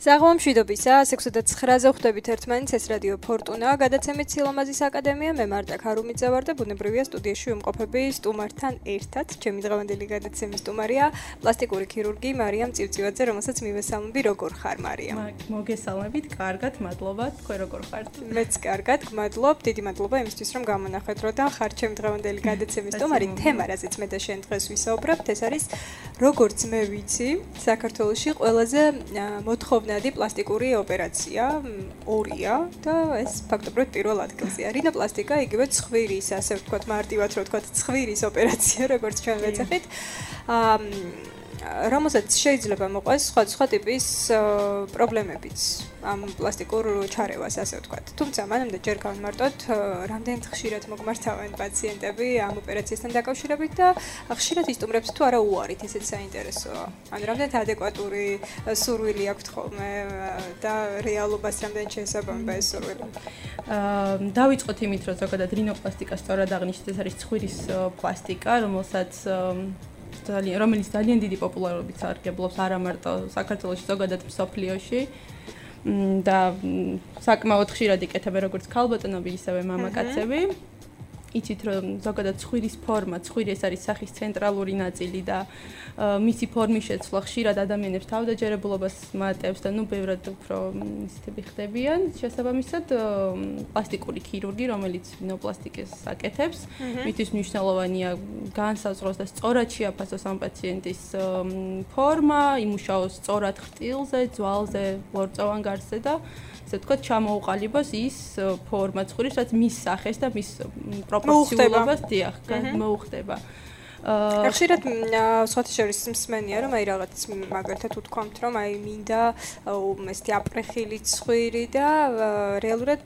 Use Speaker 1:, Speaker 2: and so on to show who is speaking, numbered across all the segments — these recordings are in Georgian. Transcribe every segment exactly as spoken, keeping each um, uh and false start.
Speaker 1: საღამომშვიდობისა, ექვსი და ცხრაზე ხვდებით ერთმანეთს, ეს რადიო ფორტუნა, გადაცემით სილამაზის აკადემია, მე მარტა ქარუმიძე ვარ და ბუნებრივია სტუდიაში ვიმყოფები სტუმართან ერთად. ჩემი დღევანდელი გადაცემის სტუმარია პლასტიკური ქირურგი მარიამ წივწივაძე, რომელსაც მივესალმები. როგორ ხარ, მარიამ?
Speaker 2: მოგესალმებით, კარგად, მადლობა, თქვენ როგორ ხართ?
Speaker 1: მეც კარგად, გმადლობ, დიდი მადლობა იმისთვის, რომ გამონახეთ რო და ხარ ჩემი დღევანდელი გადაცემის სტუმარი. თემა, რაზეც მე და შენ დღეს ვისაუბრებთ, ეს არის როგორც მე ვიცი, საქართველოში ყველაზე მოთხოვნადი პლასტიკური ოპერაცია ორია და ეს ფაქტობრივად პირველ ადგილზეა. რინოპლასტიკა, იგივე ცხვირის, ასე ვთქვათ, მარტივად რო ვთქვათ, ცხვირის ოპერაცია, როგორც ჩვენ ვეძახით. აა რომელსაც შეიძლება მოყვეს სხვადასხვა ტიპის პრობლემებიც ამ პლასტიკურ ჩარევას, ასე ვთქვათ. თუმცა მანამდე ჯერ გავიმარტოთ, რამდენად ხშირად მოგმართავენ პაციენტები ამ ოპერაციასთან დაკავშირებით და ხშირად ისტუმრებს თუ არა უარით, ესეც საინტერესოა. ან რამდენად ადეკვატური სურვილი აქვთ ხოლმე და რეალობას რამდენად შეესაბამება ეს სურვილი.
Speaker 2: აა დავიწყოთ იმით, რომ ზოგადად რინოპლასტიკა სწორად აღნიშნეთ, ეს არის ცხვირის პლასტიკა, რომელსაც ძალიან რომელიც ძალიან დიდი პოპულარობით სარგებლობს არა მარტო საქართველოში, ზოგადად მსოფლიოში და საკმაოდ ხშირად იკეთებენ როგორც ქალბატონები, ისევე მამაკაცები. იცით რომ ზოგადად ცხვირის ფორმა, ცხვირი ეს არის სახის ცენტრალური ნაწილი და მისი ფორმის შეცვლა ხშირად ადამიანებს თავდაჯერებულობას მატებს და ნუ ბევრად უფრო ისეთები ხდებიან. შესაბამისად, პლასტიკური ქირურგი, რომელიც რინოპლასტიკას აკეთებს, მისთვის მნიშვნელოვანია განსაზღვროს და სწორად შეაფასოს ამ პაციენტის ფორმა, იმუშაოს სწორად ხრტილზე, ძვალზე, ლორწოვან გარსზე და ასე ვთქვათ, ჩამოუყალიბოს ის ფორმა ცხვირის, რაც მის სახეს და მის პროპორციულობას დიახ, მოუხდება.
Speaker 1: ხშირად სხვათა შორის მსმენია, რომ აი რაღაც მაგალითად უთქვამთ, რომ აი მინდა ესეთი აპრეხილი ცხვირი და რეალურად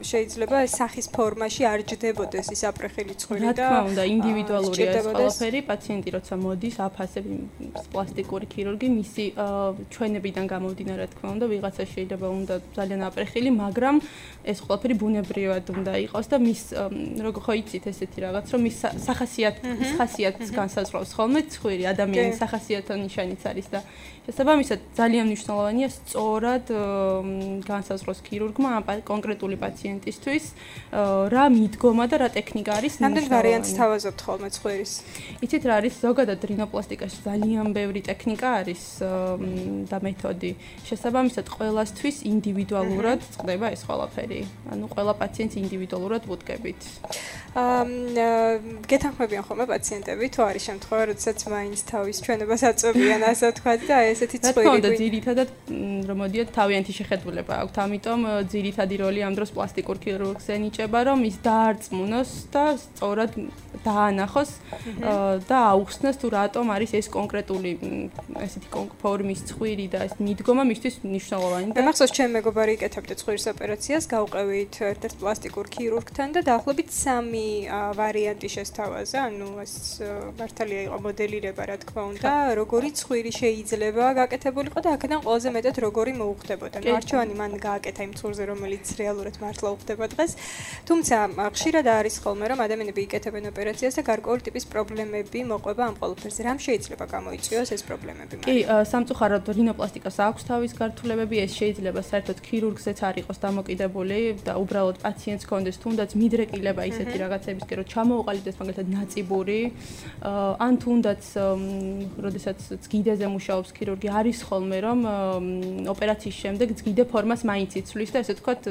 Speaker 1: შეიძლება სახის ფორმაში არ ჯდებოდეს ის აპრეხილი ცხვირი და
Speaker 2: რა თქმა უნდა, ინდივიდუალურია ეს ყველაფერი, პაციენტი როცა მოდის, აფასებს პლასტიკური ქირურგი, მისი ჩვენებიდან გამომდინარე, რა თქმა უნდა, ვიღაცა შეიძლება უნდა ძალიან აპრეხილი, მაგრამ ეს ყველაფერი ბუნებრივად უნდა იყოს და მის როგორ ხო იცით ესეთი რაღაც, რომ მის სახასიათის ხასიათს განსაზღვრავს ხოლმე ცხვირი, ადამიანის სახასიათო ნიშანიც არის და შესაბამისად ძალიან მნიშვნელოვანია სწორად განსაზღვროს ქირურგმა ამ კონკრეტული პაციენტისთვის რა მიდგომა და რა ტექნიკა არის
Speaker 1: მნიშვნელოვანი. რამდენ ვარიანტს თავაზობთ ხოლმე ცხვირის?
Speaker 2: იცით რა არის ზოგადად რინოპლასტიკაში ძალიან ბევრი ტექნიკა არის და მეთოდი. შესაბამისად ყველასთვის ინდივიდუალურად წყდება ეს ყველაფერი. ანუ ყველა პაციენტს ინდივიდუალურად ვუდგებით.
Speaker 1: აა გეთანხმებიან ხოლმე პაციენტები თუ არის შემთხვევა, როდესაც მაინც თავის ჩვენებას აწვევიან, ასე ვთქვათ და ესეთი ცხვირი.
Speaker 2: რა თქმა უნდა, ძირითადად რომ მოდიოთ თავიანთი შეხედულება აქვთ, ამიტომ ძირითადი როლი ამ დროს პლასტიკურ ქირურგს ენიჭება, რომ ის დაარწმუნოს და სწორად დაანახოს და აუხსნას თუ რატომ არის ეს კონკრეტული ესეთი ფორმის ცხვირი და ეს მიდგომა მისთვის მნიშვნელოვანი.
Speaker 1: მე მახსოვს, ჩემ მეგობარი იკეთებდა ცხვირის ოპერაციას, გავყევით ერთ-ერთ პლასტიკურ ქირურგთან და დაახლოებით სამი ვარიანტი შესთავაზა, ანუ ეს მართალია იყო მოდელირება, რა თქმა უნდა, როგორი ცხვირი შეიძლება გაკეთებულიყო და აქედან ყველაზე მეტად როგორი მოუხდებოდა. მარჩვანი მან გააკეთა იმ ცხვირზე, რომელიც რეალურად მართლა უხდება დღეს. თუმცა ხშირად არის ხოლმე, რომ ადამიანები იკეთებენ ოპერაციას და გარკვეული ტიპის პრობლემები მოყვება ამ ყველაფერზე. რამ შეიძლება გამოიწვიოს ეს პრობლემები?
Speaker 2: კი, სამწუხაროდ რინოპლასტიკას აქვს თავის გართულებები, ეს შეიძლება საერთოდ ქირურგზეც არ იყოს დამოკიდებული და უბრალოდ პაციენტს კონდეს თუნდაც მიდრეკილება ისეთი რაღაცებისკენ, რომ ჩამოუყალიბდეს მაგალითად ნაწიბური, ან თუნდაც როდესაც ზგიდეზე მუშაობს ქირურგი, არის ხოლმე რომ ოპერაციის შემდეგ ზგიდე ფორმას მაინც იცვლის და ესე ვთქვათ,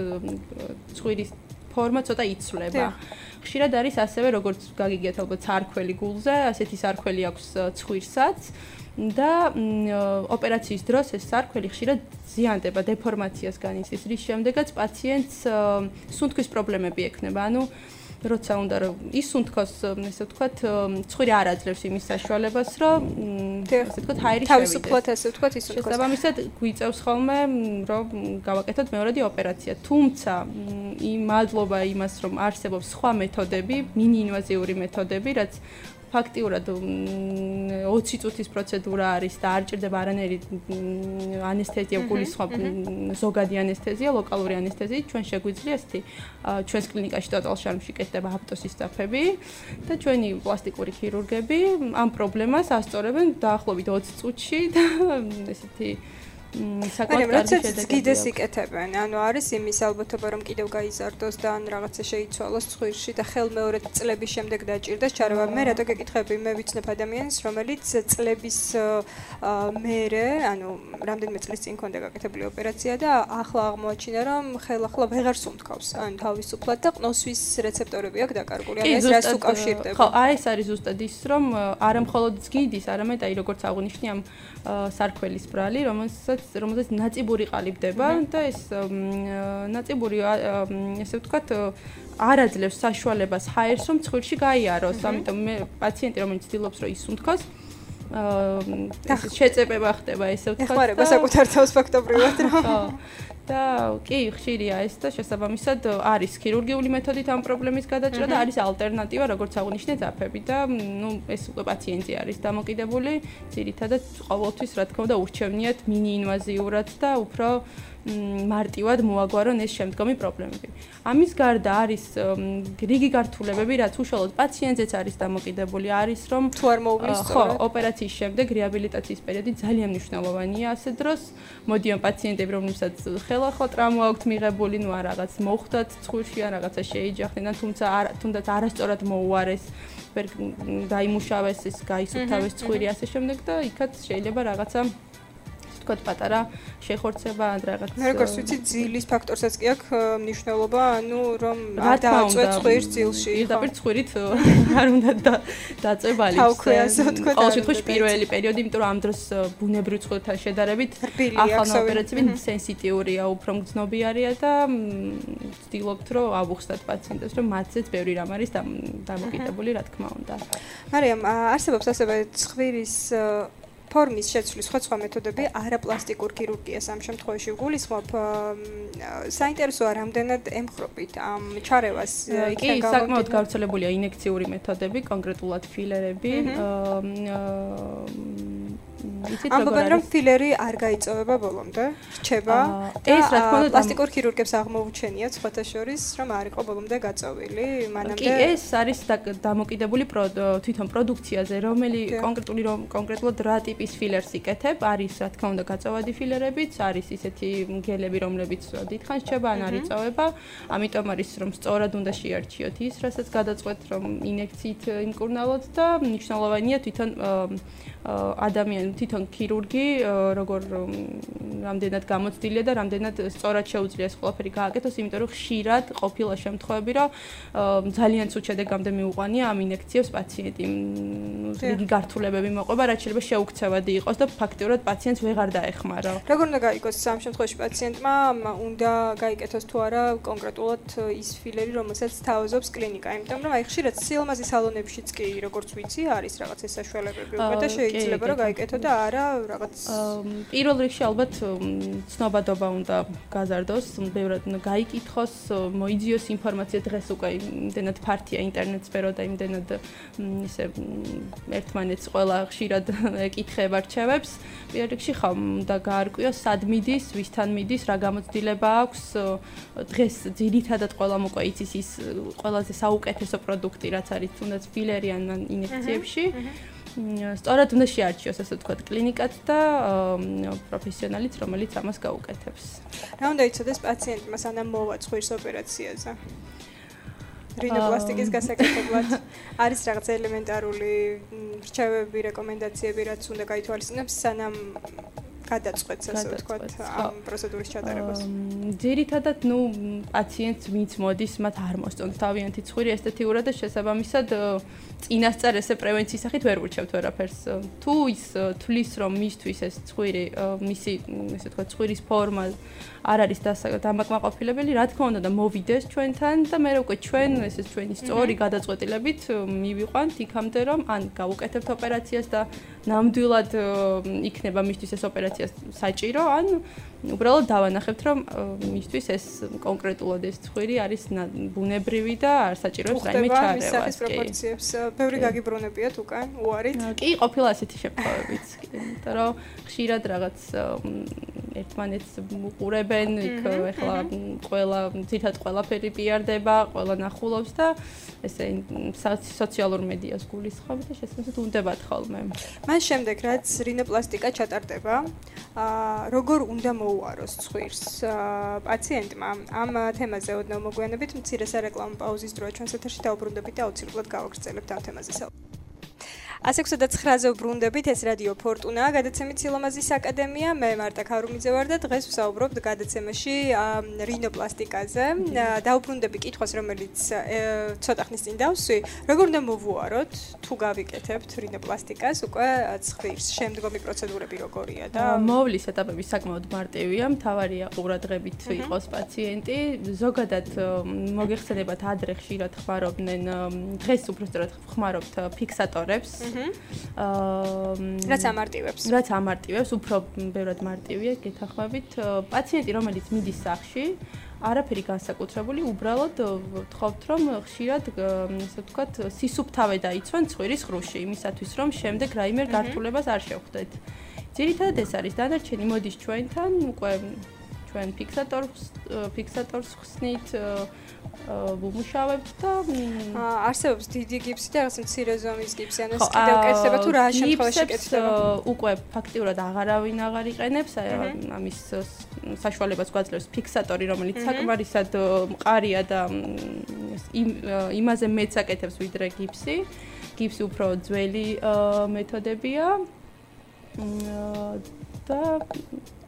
Speaker 2: ცხვირის ფორმა ცოტა იცვლება. ხშირად არის ასევე, როგორც გაგიგიათ ალბათ სარქველი გულზე, ასეთი სარქველი აქვს ცხვირსაც და ოპერაციის დროს ეს სარქველი ხშირად ზიანდება, დეფორმაციას განიცდის, რის შემდეგაც პაციენტს სუნთქვის პრობლემები ექნება. ანუ როცა უნდა რომ ისუნთქოს, ესე ვთქვათ, ცხვირი არ აძლევს იმის საშუალებას, რომ ესე ვთქვათ, ჰაერი შევიდეს.
Speaker 1: თავისუფლად ესე ვთქვათ, ისუნთქოს.
Speaker 2: შესაბამისად, გვიწევს ხოლმე, რომ გავაკეთოთ მეორადი ოპერაცია. თუმცა, იმ მადლობა იმას, რომ არსებობს სხვა მეთოდები, მინიინვაზიური მეთოდები, რაც ფაქტიურად ოცი წუთის პროცედურა არის და არ ჭირდება არანაირი ანესთეზია, გულისხმობ ზოგადი ანესთეზია, ლოკალური ანესთეზია, ჩვენ შეგვიძლია ესეთი ჩვენს კლინიკაში ტოტალ შარმში კეთდება აპტოსის საფები და ჩვენი პლასტიკური ქირურგები ამ პრობლემას ასწორებენ დაახლოებით ოცი წუთში და ესეთი საკმაოდ კარგი შედეგი.
Speaker 1: გიდეს იკეთებენ. ანუ არის იმის ალბათობა რომ კიდევ გაიზარდოს და ან რაღაცა შეიცვალოს ცხვირში და ხელმეორე წლების შემდეგ დაჭირდეს ჩარევა. მე რატო გეკითხები? მე ვიცნობ ადამიანს, რომელიც წლების მერე, ანუ რამდენიმე წლის წინ ქონდა გაკეთებული ოპერაცია და ახლა აღმოაჩინა რომ ხელახლა ვეღარ სუნთქავს. ანუ თავისუფლად და ყნოსვის რეცეპტორები აქვს დაკარგული. ანუ ეს რას უკავშირდება?
Speaker 2: ხო, აი ეს არის ზუსტად ის, რომ არა მხოლოდ გიდის, არამედ აი როგორც აღნიშნე ამ სარქველის ბრალი, რომელსაც რომელსაც ნაწიბური ყალიბდება და ეს ნაწიბური ესე ვთქვათ არ აძლევს საშუალებას ჰაერს რომ ცხვირში გაიაროს. ამიტომ მე პაციენტი რომელიც ცდილობს რომ ისუნთქოს აა შეწებება ხდება ესე ვთქვათ.
Speaker 1: ეხმარება საკუთარ თავს ფაქტობრივად რა.
Speaker 2: ხო. და კი, ხშირია ეს და შესაბამისად არის ქირურგიული მეთოდით ამ პრობლემის გადაჭრა და არის ალტერნატივა, როგორც აღნიშნე, ძაფები და ნუ ეს უკვე პაციენტი არის დამოკიდებული, ძირითადად ყოველთვის რა თქმა უნდა ურჩევნიათ მინიინვაზიურად და უფრო მარტივად მოაგვარონ ეს შემდგომი პრობლემები. ამის გარდა არის რიგი გართულებები, რაც უშუალოდ პაციენტზეც არის დამოკიდებული, არის რომ
Speaker 1: თუ არ მოუვლის
Speaker 2: ხო, ოპერაციის შემდეგ რეაბილიტაციის პერიოდი ძალიან მნიშვნელოვანია ასე დროს. მოდიან პაციენტები, რომლებსაც ხელახლა ტრაუმა აქვთ მიღებული, ნუ არ რაღაც მოხვდათ ცხვირში ან რაღაცა შეიჯახდნენ, თუმცა თუნდაც არასწორად მოუარეს, ვერ დაიმუშავეს, ეს გაისუფთავეს ცხვირი ასე შემდეგ და იქაც შეიძლება რაღაცა თქვათ პატარა შეხორცება ან რაღაც.
Speaker 1: მე როგორც ვიცი, ძილის ფაქტორსაც კი აქვს მნიშვნელობა, ანუ რომ არ დააწვეთ ცხვირს ძილში.
Speaker 2: პირდაპირ ცხვირით არ უნდა დაწვებალი. ყოველ შემთხვევაში პირველი პერიოდი, იმიტომ რომ ამ დროს ბუნებრივ ცხვირთან შედარებით ახალ ოპერაციები სენსიტიურია, უფრო მგრძნობიარია და ვცდილობთ რომ ავუხსნათ პაციენტებს, რომ მათზეც ბევრი რამ არის დამოკიდებული, რა თქმა უნდა.
Speaker 1: მარიამ, არსებობს ასევე ცხვირის ფორმის შეცვლის სხვა მეთოდები, არაპლასტიკურ ქირურგიას ამ შემთხვევაში გულისხმობ. საინტერესოა რამდენად ემხრობით ამ ჩარევას იქიდან
Speaker 2: გამომდინარე. კი, საკმაოდ გავრცელებულია ინექციური მეთოდები, კონკრეტულად ფილერები.
Speaker 1: ამბობენ რომ ფილერი არ გაიწოვება ბოლომდე, რჩება და
Speaker 2: ეს რა თქმა უნდა
Speaker 1: პლასტიკურ ქირურგებს აღმოუჩენიათ სხვათა შორის, რომ არ იყო ბოლომდე გაწოვილი, მანამდე.
Speaker 2: კი, ეს არის დამოკიდებული თვითონ პროდუქციაზე, რომელი კონკრეტული კონკრეტულად რა ტიპის ფილერს იკეთებ, არის რა თქმა უნდა გაწოვადი ფილერებიც, არის ისეთი გელები, რომლებიც დიდხანს რჩება, ან არ იწოვება, ამიტომ არის რომ სწორად უნდა შეარჩიოთ ის, რასაც გადაწყვეტ რომ ინექციით იმკურნალოთ და მნიშვნელოვანია თვითონ ადამიანი თვითონ ქირურგი როგორ რამდენად გამოცდილია და რამდენად სწორად შეუძლია ეს ყველაფერი გააკეთოს, იმიტომ რომ ხშირად ყოფილა შემთხვევები, რომ ძალიან ცუდ შედეგამდე მიუყვანია ამ ინექციებს პაციენტი. რიგი გართულებები მოყვება, რაც შეიძლება შეუქცევადი იყოს და ფაქტიურად პაციენტს ვეღარ დაეხმარა.
Speaker 1: როგორ უნდა გაიგოს ამ შემთხვევაში პაციენტმა უნდა გაიკეთოს თუ არა კონკრეტულად ის ფილერი, რომელსაც თავაზობს კლინიკა, იმიტომ რომ აი ხშირად სილამაზის სალონებშიც კი როგორც ვიცი, არის რაღაც ეს საშუალებები უკვე და შეიძლება რომ გაიკეთო და არა რაღაც
Speaker 2: პირველ რიგში ალბათ ცნობადობა უნდა გაზარდოს, ბევრად უნდა გაიკითხოს, მოიძიოს ინფორმაცია დღეს უკვე იმდენად ფართია ინტერნეტ სფერო და იმდენად ისე ერთმანეთს ყველა ხშირად ეკითხება რჩევებს. პირველ რიგში ხომ და გაარკვიოს სად მიდის, ვისთან მიდის, რა გამოცდილება აქვს. დღეს ძირითადად ყველამ უკვე იცის ის ყველაზე საუკეთესო პროდუქტი, რაც არის თუნდაც ფილერი ან ინექციებში. სწორად უნდა შეარჩიოს ასე ვთქვათ კლინიკაც და პროფესიონალიც, რომელიც ამას გაუკეთებს.
Speaker 1: რა უნდა იცოდეს პაციენტმა სანამ მოვა ცხვირის ოპერაციაზე? რინოპლასტიკის გასაკეთებლად არის რაღაც ელემენტარული რჩევები, რეკომენდაციები, რაც უნდა გაითვალისწინოს სანამ გადაწყვეტს ასე ვთქვათ ამ პროცედურის ჩატარებას.
Speaker 2: ძირითადად, ნუ პაციენტს ვინც მოდის, მათ არ მოსწონს თავიანთი ცხვირი ესთეტიურად და შესაბამისად წინასწარ ესე პრევენციის სახით ვერ ურჩევთ ვერაფერს. თუ ის თulis რომ მისთვის ეს ცხვირი, მისი ესე ვთქვათ ცხვირის ფორმა არ არის დამაკმაყოფილებელი, რა თქმა უნდა და მოვიდეს ჩვენთან და მე უკვე ჩვენ ესე ჩვენი სწორი გადაწყვეტილებით მივიყვანთ იქამდე რომ ან გავუკეთებთ ოპერაციას და ნამდვილად იქნება მისთვის ეს ოპერაცია საჭირო, ან უბრალოდ დავანახებთ რომ მისთვის ეს კონკრეტულად ეს ცხვირი არის ბუნებრივი და არ საჭიროებს რაიმე ჩარევას.
Speaker 1: სახის პროპორციებს ბევრი გაგიბრუნებიათ უკან უარით?
Speaker 2: კი, ყოფილა ასეთი შემთხვევებიც, იმიტომ რომ ხშირად რაღაც ერთმანეთს უყურებენ, იქ ეხლა ყველა ძირითადად ყველაფერი პიარდება, ყველა ნახულობს და ესე სოციალურ მედიას გულისხმობთ და შესაძლოა უნდებათ ხოლმე.
Speaker 1: მან შემდეგ რაც რინოპლასტიკა ჩატარდება, აა როგორ უნდა მოუაროს ცხვირს პაციენტმა? ამ თემაზე ოდნავ მოგვიანებით მცირე სარეკლამო პაუზის დროა ჩვენს ეთერში დაუბრუნდებით და აუცილებლად გავაგრძელებთ ამ თემაზე. ასი ოცდაოთხ ზე ვბრუნდებით, ეს რადიო ფორტუნა, გადაცემით სილამაზის აკადემია. მე მარტა ქარუმიძე ვარ და დღეს ვსაუბრობთ გადაცემაში რინოპლასტიკაზე. დავუბრუნდები კითხვას, რომელიც ცოტა ხნის წინ დავსვი, როგორ უნდა მოვუაროთ, თუ გავიკეთებთ რინოპლასტიკას უკვე ცხვირს, შემდგომი პროცედურები როგორია და
Speaker 2: მოვლის ეტაპები საკმაოდ მარტივია, მთავარია ყურადღებით იყოს პაციენტი. ზოგადად მოგეხსენებათ ადრე ხშირად ხმარობდნენ, დღეს უბრალოდ ხმარობთ ფიქსატორებს. აა
Speaker 1: რაც ამარტივებს.
Speaker 2: რაც ამარტივებს, უფრო ბევრად მარტივია, გეთანხმებით. პაციენტი, რომელიც მიდის სახლში, არაფერი განსაკუთრებული, უბრალოდ ვთხოვთ, რომ ხშირად, ასე ვთქვათ, სისუფთავე დაიცვან ცხვირის ხრუში, იმისათვის, რომ შემდეგ რაიმე გართულებას არ შევხვდეთ. ძირითადად ეს არის დანარჩენი მოდის ჩვენთან, უკვე ჩვენ ფიქსატორს ფიქსატორს ხსნით ვუმუშავებთ და
Speaker 1: არსებობს დიდი გიფსი და რაღაც მცირე ზომის გიფსი, ანუ ეს კიდევ კეთდება თუ რა შემთხვევაში კეთდება?
Speaker 2: უკვე ფაქტიურად აღარავინ აღარ იყენებს, ამის საშუალებას გვაძლევს ფიქსატორი, რომელიც საკმარისად მყარია და იმაზე მეც აკეთებს ვიდრე გიფსი. გიფსი უფრო ძველი მეთოდებია და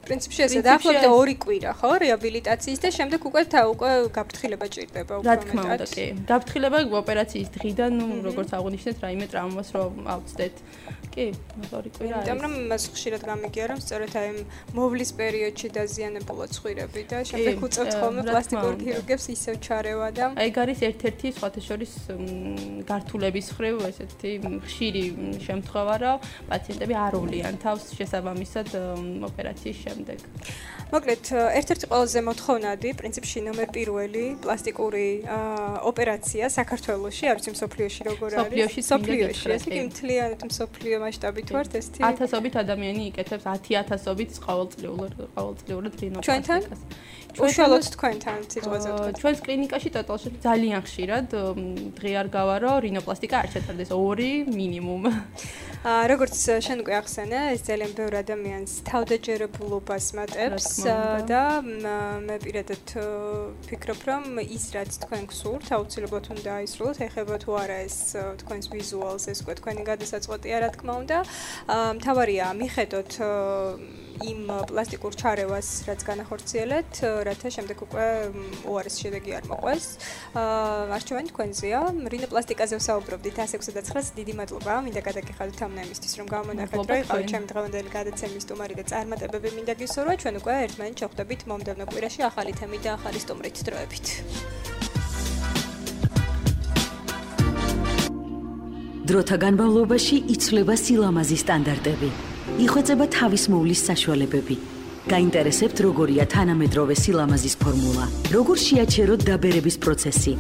Speaker 1: პრინციპში ესე დაახლოებით ორი კვირა, ხო, რეაბილიტაციის და შემდეგ უკვე უკვე გაფრთხილება ჭირდება უფრო
Speaker 2: მეტად. რა თქმა უნდა, კი. გაფრთხილება ოპერაციის დღიდან, ნუ როგორც აღნიშნეთ, რაიმე ტრავმას რომ ავწდეთ. კი, ორი კვირა არის.
Speaker 1: იმიტომ რომ მას ხშირად გამიგია, რომ სწორედ აი მოვლის პერიოდში დაზიანებულა ცხვირები და შემდეგ უწევთ ხოლმე პლასტიკურ ქირურგებს ისევ ჩარევა და
Speaker 2: აი ეგ არის ერთ-ერთი სხვათა შორის გართულების ხრივ ესეთი ხშირი შემთხვევა, რომ პაციენტები არ უვლიან თავს შესაბამისად ოპერაციის შემდეგ.
Speaker 1: მოკლედ, ერთ-ერთი ყველაზე მოთხოვნადი, პრინციპში ნომერ პირველი პლასტიკური ოპერაცია საქართველოში, არ ვიცი მსოფლიოში როგორ არის.
Speaker 2: მსოფლიოში,
Speaker 1: ეს კი მთლიანად მსოფლიო მასშტაბით ვართ ესეთი.
Speaker 2: ათასობით ადამიანი იკეთებს ათი ათასობით ყოველწლიურად ყოველწლიურად
Speaker 1: ჩვენთან?
Speaker 2: რინოპლასტიკას.
Speaker 1: უშუალოდ თქვენთან სიტყვაზე ვთქვათ.
Speaker 2: ჩვენს კლინიკაში ტოტალში ძალიან ხშირად დღე არ გავა, რომ რინოპლასტიკა არ ჩატარდეს, ორი მინიმუმ.
Speaker 1: აა როგორც შენ უკვე ახსენე, ეს ძალიან ბევრ ადამიანს თავდაჯერებულობას მატებს და მე პირადად ვფიქრობ, რომ ის რაც თქვენ გსურთ, აუცილებლად უნდა აისრულოთ, ეხება თუ არა ეს თქვენს ვიზუალს, ეს უკვე თქვენი გადასაწყვეტია, რა თქმა უნდა. მთავარია მიხედოთ იმ პლასტიკურ ჩარევას, რაც განახორციელეთ, რათა შემდეგ უკვე უარესი შედეგი არ მოყვეს. არჩევანი თქვენზეა. რინოპლასტიკაზე ვსაუბრობდით ასი ოცდაოთხ-ს. დიდი მადლობა. მინდა გადაგიხადოთ ამ ნაიმისთვის, რომ გამონახეთ, რომ იყავით ჩემი დღევანდელი გადაცემის სტუმარი და წარმატებები მინდა გისურვა. ჩვენ უკვე ერთმანეთს შევხვდებით მომდევნო კვირაში ახალი თემით და ახალი სტუმრით დროებით.
Speaker 3: დროთა განმავლობაში იცვლება სილამაზის სტანდარტები. იხვეწება თავის მოვლის საშუალებები. გაინტერესებთ როგორია თანამედროვე სილამაზის ფორმულა? როგორ შეაჩეროთ დაბერების პროცესი?